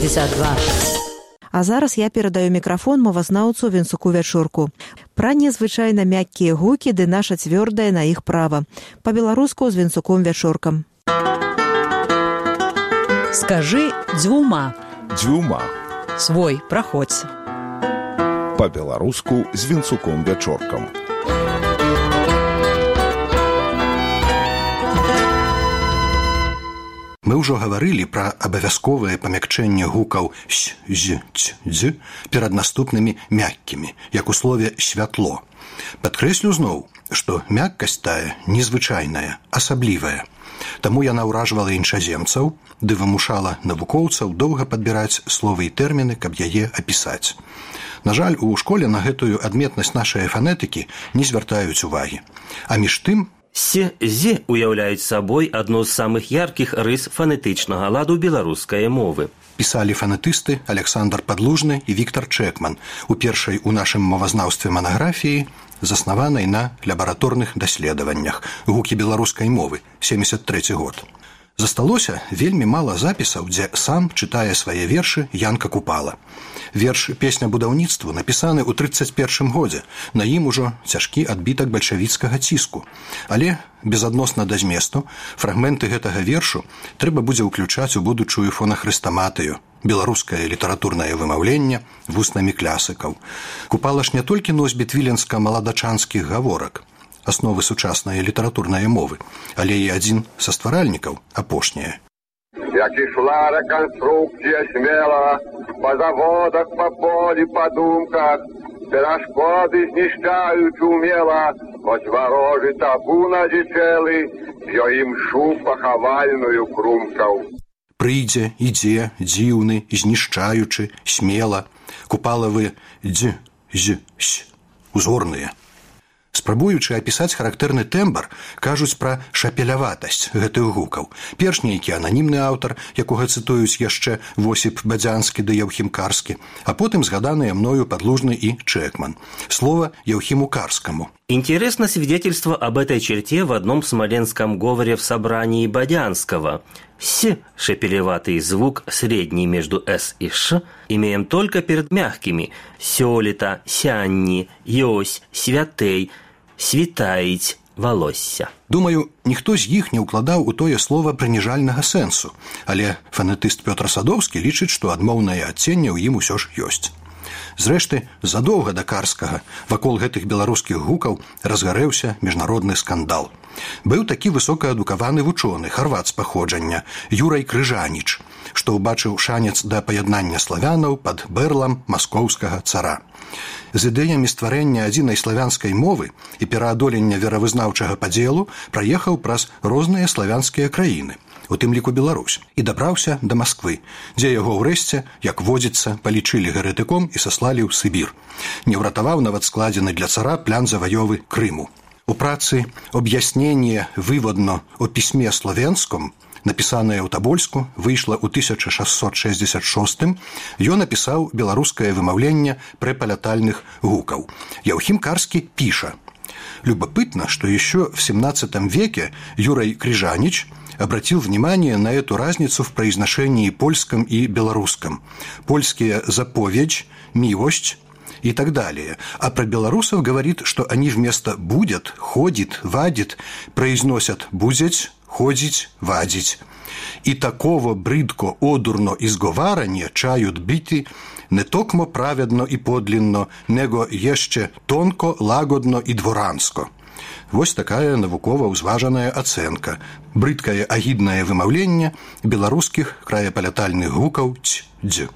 62. А зараз я перадаю мікрафон мовазнаўцу Венцуку Вячорку. Пра незвычайна мяккія гукі ды наша цвёрдае на іх права. Па-беларуску з Венцуком Вячоркам. Скажи дзвюма. Дзвюма. Свой, праходзь. Па-беларуску з Венцуком Вячоркам. Мы ўжо гаварылі пра абавязковае памякчэнне гукаў «сь», «з», «ць», «дз» перад наступнымі мяккімі, як у слове «святло». Падкрэслю зноў, што мяккасць тая незвычайная, асаблівая. Таму яна ўражвала іншаземцаў, ды вымушала навукоўцаў доўга падбіраць словы і тэрміны, каб яе апісаць. На жаль, у школе на гэтую адметнасць нашай фанетыкі не звяртаюць увагі. А між тым, З уяўляюць сабой адну з самых яркіх рыс фанетычнага ладу беларускай мовы. Пісалі фанетысты Александр Падлужны і Віктор Чэкман у першай у нашым мовазнаўстве манаграфіі, заснаванай на лабараторных даследаваннях «Гукі беларускай мовы», 73 год. Засталося вельмі мала запісаў, дзе сам чытае свае вершы Янка Купала. Верш «Песня будаўніцтву» напісаны ў 31 годзе, на ім ужо цяжкі адбітак бальшавіцкага ціску. Але, безадносна да зместу, фрагменты гэтага вершу трэба будзе ўключаць у будучую фонахрыстаматыю, беларускае літаратурнае вымаўленне вуснамі клясыкаў. Купала ж не толькі носьбіт віленска-маладачанскіх гаворак, асновы сучаснай літаратурнай мовы, але і адзін са стваральнікаў, апошняе. Як ішла рэканструкція смела, па заводах, па полі, па думках, перашкоды знішчаюць умела, хоць варожы табу надзічэлы, ё імшу пахавальную крумкаў. Прыйдзе, ідзе, дзіўны, знішчаючы, смела, Купалавы дз, з, с, узгорныя. Спрабуючы апісаць характэрны тэмбр, кажуць пра шапеляватасць гэтых гукаў. Перш нейкі ананімны аўтар, якога цытуюць яшчэ Восіп Бадзянскі ды Яўхім Карскі, а потым згаданыя мною Падлужны и Чэкман. Слово Яўхиму Карскому. Интересно свидетельство об этой черте в одном смоленском говоре в собрании Бадянского. «С» – шепелеватый звук, средний между «с» и «ш», имеем только перед мягкими «сёлета», «сянни», «ёсь», «святей», «світаіць», «волосся». Думаю, ніхто з іх не ўкладаў у тое слова прыніжальнага сэнсу, але фанетыст Пётр Садоўскі лічыць, што адмоўнае адценне ў ім усё ж ёсць. Зрэшты, задоўга да Карскага вакол гэтых беларускіх гукаў разгарэўся міжнародны скандал. Быў такі высокаадукаваны вучоны, харват з паходжання, Юрай Крыжаніч, што ўбачыў шанец да паяднання славянаў пад бэрлам маскоўскага цара. З ідэямі стварэння адзінай славянскай мовы і пераадолення веравызнаўчага падзелу праехаў праз розныя славянскія краіны, у тым ліку Беларусь, і дабраўся да Масквы, дзе яго ўрэшце, як водзіцца, палічылі гарэтыком і саслалі ў Сыбір. Не ўратаваў нават складзены для цара план заваёвы Крыму. У працы «Об'яснение выводно о пісьме славянском», напісаная ў Табольску, выйшла ў 1666, ён напісаў беларускае вымаўленне прэпалятальных гукаў. Яўхім Карскі піша: «Любопытно, что еще в 17 веке Юрай Крыжанич обратил внимание на эту разницу в произношении польском и белорусском. Польские «заповедь», «милость» и так далее. А про белорусов говорит, что они вместо «будет», «ходит», «вадит» произносят «будзять», «ходить», «вадить». И такого брыдко одурно изговарання чають бити не токмо праведно і подлинно, него єще тонко, лагодно і дворанско. Вось такая навукова ўзважаная ацэнка, брыдкае агіднае вымаўленне беларускіх краяпалятальных гукаў «ць», «дз».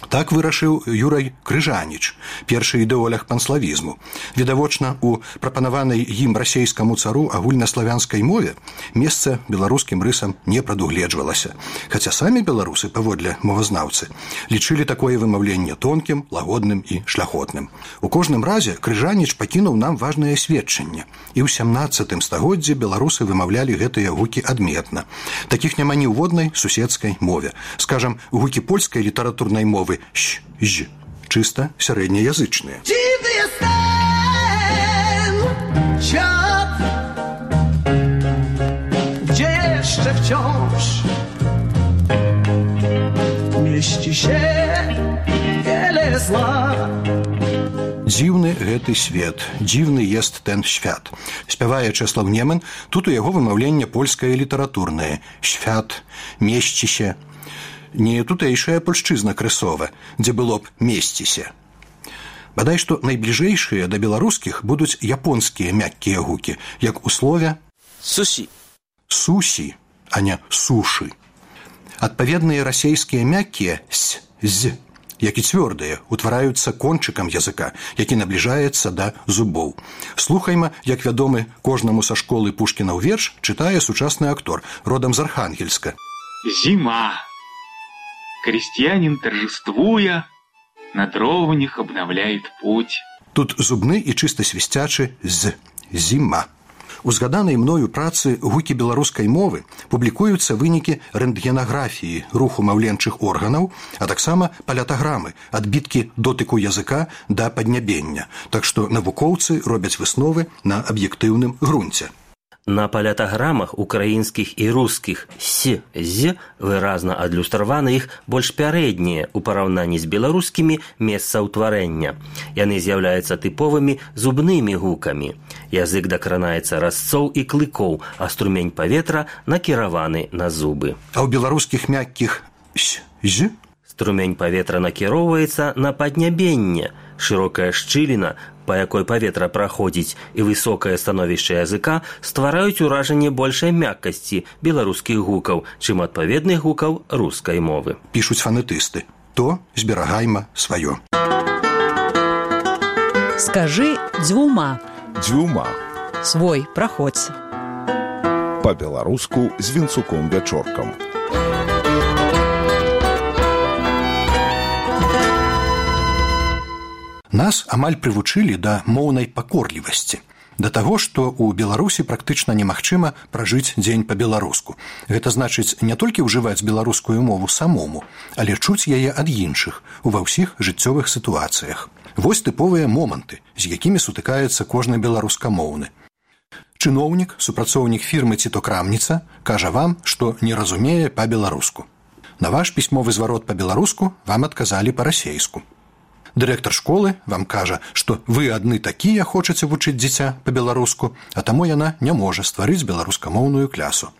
Так вырашыў Юрай Крыжаніч, першы ідэолог панславізму. Відавочна, у прапанаванай ім расейскаму цару агульнаславянскай мове месца беларускім рысам не прадугледжвалася, хаця самі беларусы, паводле мовазнаўцы, лічылі такое вымаўленне тонкім, лагодным і шляхотным. У кожным разе Крыжаніч пакінуў нам важнае сведчанне, і ў 17 стагоддзі беларусы вымаўлялі гэтыя гукі адметна. Такіх няма ні ў воднай суседскай мове. Скажам, гукі польскай літаратурнай мовы «щ», «ж» чисто среднеязычные. Dziad, gdzie jeszcze wciąż мешчи się wiele zła. Дзіўны гэты свет, дзіўны ест ten świat. Спявае Чэслаў Неман, тут у яго вымаўленне польскае літаратурнае. Świat, мешчіся. Не тутэйшая польшчызна крысова, дзе было б месціся. Бадай што найбліжэйшыя да беларускіх будуць японскія мяккія гукі, як у слове суші. Сусі, а не сушы. Адпаведныя расейскія мяккія с, з, як і цвёрдыя, утвараюцца кончыкам языка, які набліжаецца да зубоў. Слухайма, як вядомы кожнаму са школы Пушкінаў верш чытае сучасны актор, родам з Архангельска. Зима. Крестьянин, торжествуя, на дровнях обновляет путь. Тут зубны і чыста свісцячы з, зіма. У згаданай мною працы гукі беларускай мовы публікуюцца вынікі рэнтгенаграфіі руху маўленчых органаў, а таксама палятаграмы, адбіткі дотыку языка да паднябення. Так што навукоўцы робяць высновы на аб'ектыўным грунце. На палятаграмах украінскіх і рускіх с, з выразна адлюстраваны іх больш пярэднія ў параўнанні з беларускімі месца ўтварэння. Яны з'яўляюцца тыповымі зубнымі гукамі. Язык дакранаецца разцоў і клыкоў, а струмень паветра накіраваны на зубы. А ў беларускіх мяккіх с, з струмень паветра накіроўваецца на паднябенне. Шырокая шчыліна, па якой паветра праходзіць, і высокае становішча языка ствараюць уражанне большай мяккасці беларускіх гукаў, чым адпаведных гукаў рускай мовы. Пішуць фанетысты. То зберагайма сваё. Скажы дзвюма. Дзюма. Свой праходзь. Па-беларуску з Вінцуком Вячоркам. Нас амаль прывучылі да моўнай пакорлівасці, да таго, што ў Беларусі практычна немагчыма пражыць дзень па-беларуску. Гэта значыць не толькі ўжываць беларускую мову самому, але чуць яе ад іншых ува ўсіх жыццёвых сітуацыях. Вось тыповыя моманты, з якімі сутыкаецца кожны беларускамоўны. Чыноўнік, супрацоўнік фірмы ці то крамніца, кажа вам, што не разумее па-беларуску. На ваш пісьмовы зварот па-беларуску вам адказалі па-расейску. Дырэктар школы вам кажа, што вы адны такія хочаце вучыць дзіця па-беларуску, а таму яна не можа стварыць беларускамоўную клясу.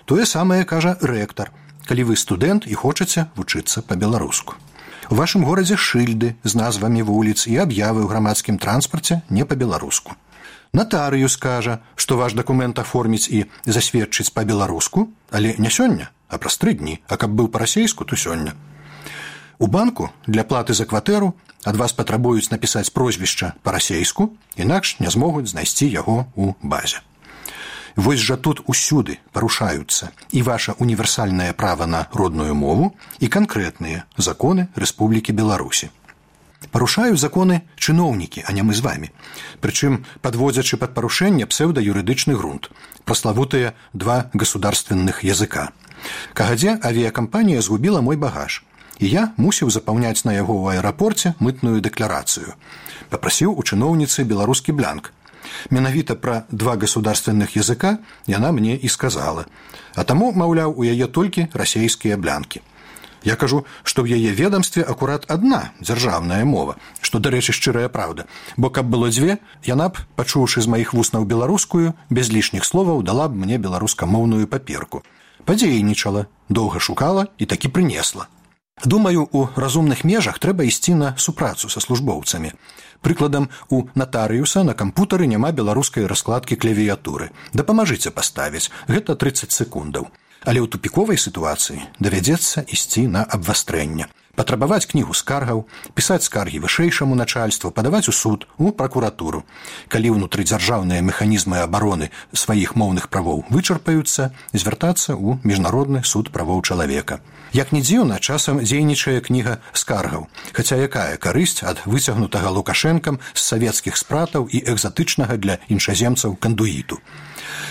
Тое самае кажа рэктар, калі вы студэнт і хочаце вучыцца па-беларуску. У вашым горадзе шыльды з назвамі вуліц і аб'явы ў грамадскім транспарце не па-беларуску. Натарыюс кажа, што ваш дакумент аформіць і засведчыць па-беларуску, але не сёння, а праз 3 дні, а каб быў па-расейску, то сёння. У банку для платы за кватэру ад вас патрабуюць напісаць прозвішча па-расейску, інакш не змогуць знайсці яго ў базе. Вось жа тут усюды парушаюцца і ваша універсальнае права на родную мову і канкрэтныя законы Рэспублікі Беларусі. Парушаюць законы чыноўнікі, а не мы з вамі. Прычым падводзячы пад парушэнне псеўдаюрыдычны грунт, праславутыя 2 государственных языка. Кагадзе авіякампанія згубіла мой багаж, і я мусіў запаўняць на яго ў аэрапорце мытную дэкларацыю. Папрасіў у чыноўніцы беларускі бланк. Менавіта пра 2 государственных языка яна мне і сказала. А таму, маўляў, у яе толькі расейскія блянкі. Я кажу, што ў яе ведамстве акурат адна дзяржаўная мова, што, дарэчы, шчырая праўда, бо каб было 2, яна б, пачуўшы з маіх вуснаў беларускую, без лішніх словаў дала б мне беларускамоўную паперку. Падзейнічала, доўга шукала і такі прынесла. Думаю, у разумных межах трэба ісці на супрацу са службоўцамі. Прыкладам, у натарыюса на кампутары няма беларускай раскладкі клавіятуры. Дапамажыце паставіць, гэта 30 секундаў. Але ў тупіковай сітуацыі давядзецца ісці на абвастрэнне. Патрабаваць кнігу скаргаў, пісаць скаргі вышэйшаму начальству, падаваць у суд, у пракуратуру. Калі ўнутрыдзяржаўныя механізмы абароны сваіх моўных правоў вычарпаюцца, звяртацца ў міжнародны суд правоў чалавека. Як не дзіўна, часам дзейнічае кніга скаргаў, хаця якая карысць ад выцягнутага Лукашэнкам з савецкіх спратаў і экзатычнага для іншаземцаў кандуіту.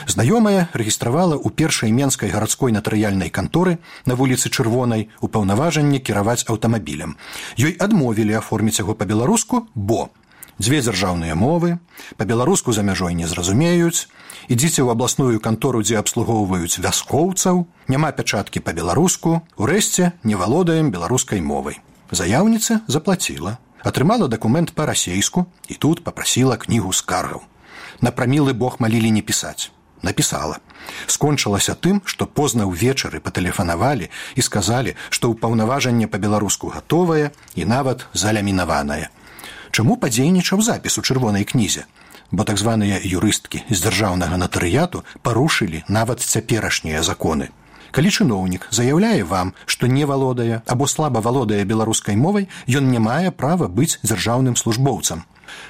Знаёмая рэгістравала ў першай менскай гарадской натарыяльнай канторы на вуліцы Чырвонай упаўнаважанне кіраваць аўтамабілем. Ёй адмовілі аформіць яго па-беларуску, бо Дзве дзяржаўныя мовы, па-беларуску за мяжой не зразумеюць, ідзіце ў абласную кантору, дзе абслугоўваюць вяскоўцаў, няма пячаткі па-беларуску, урэшце не валодаем беларускай мовай. Заяўніца заплаціла, атрымала дакумент па-расейску і тут папрасіла кнігу скаргаў. На прамілы бог малілі не пісаць. Напісала. Скончылася тым, што позна ўвечары патэлефанавалі і сказалі, што ўпаўнаважанне па-беларуску гатовае і нават залямінаванае. Чаму падзейнічаў запіс у чырвонай кнізе? Бо так званыя юрысткі з дзяржаўнага натарыяту парушылі нават цяперашнія законы. Калі чыноўнік заяўляе вам, што не валодае або слаба валодае беларускай мовай, ён не мае права быць дзяржаўным службоўцам.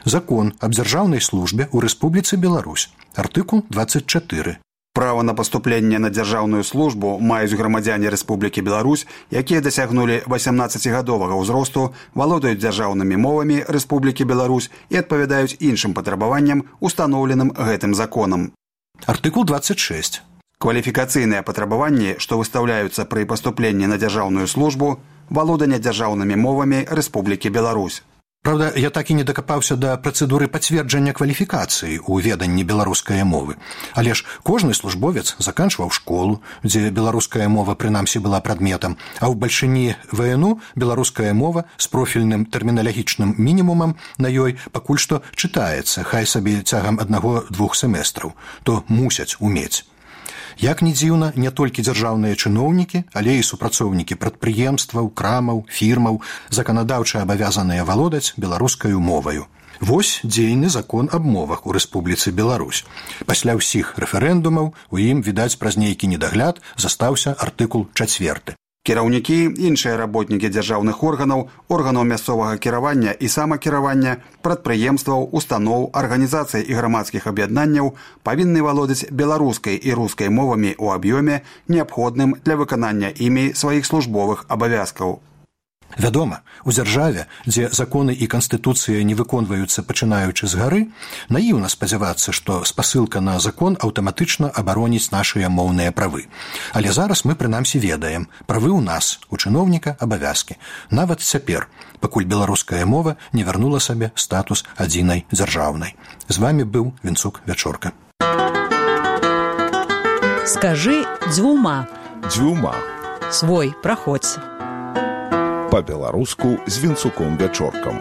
Закон аб дзяржаўнай службе ў Рэспубліцы Беларусь. Артыкул 24. Право на паступленне на дзяржаўную службу маюць грамадзяне Рэспублікі Беларусь, якія дасягнулі 18гадовага ўзросту, валодаюць дзяржаўнымі мовамі Рэспублікі Беларусь і адпавядаюць іншым патрабаванням, устаноўленым гэтым законам. Артыкул 26. Кваліфікацыйныя патрабаванні, што выстаўляюцца пры паступленні на дзяржаўную службу, валоданне дзяржаўнымі мовамі Рэспублікі Беларусь. Правда, я так і не дакапаўся да працэдуры пацверджання кваліфікацыі ў веданні беларускай мовы. Але ж кожны службовец заканчваў школу, дзе беларуская мова прынамсі была прадметам, а ў бальшыні ВНУ беларуская мова з профільным тэрміналагічным мінімумам на ёй пакуль што чытаецца, хай сабе цягам 1-2 семестраў, то мусяць умець. Як ні дзіўна, не толькі дзяржаўныя чыноўнікі, але і супрацоўнікі прадпрыемстваў, крамаў, фірмаў заканадаўча абавязаныя валодаць беларускаю моваю. Вось дзейны закон аб мовах у Рэспубліцы Беларусь. Пасля ўсіх рэферэндумаў у ім, відаць, праз нейкі недагляд застаўся артыкул 4. Кіраўнікі, іншыя работнікі дзяржаўных органаў, органаў мясцовага кіравання і самакіравання, прадпрыемстваў, устаноў, арганізацый і грамадскіх аб'яднанняў павінны валодаць беларускай і рускай мовамі ў аб'ёме, неабходным для выканання імі сваіх службовых абавязкаў. Вядома, у дзяржаве, дзе законы і канстытуцыя не выконваюцца пачынаючы з гары, наіўна спадзявацца, што спасылка на закон аўтаматычна абароніць нашыя моўныя правы. Але зараз мы прынамсі ведаем, правы ў нас, у чыноўніка абавязкі. Нават цяпер, пакуль беларуская мова не вярнула сабе статус адзінай дзяржаўнай. З вамі быў Вінцук Вячорка. Скажы дзвюма. Дзвюма. Свой праходзь. Па-беларуску з Вінцуком Вячоркам.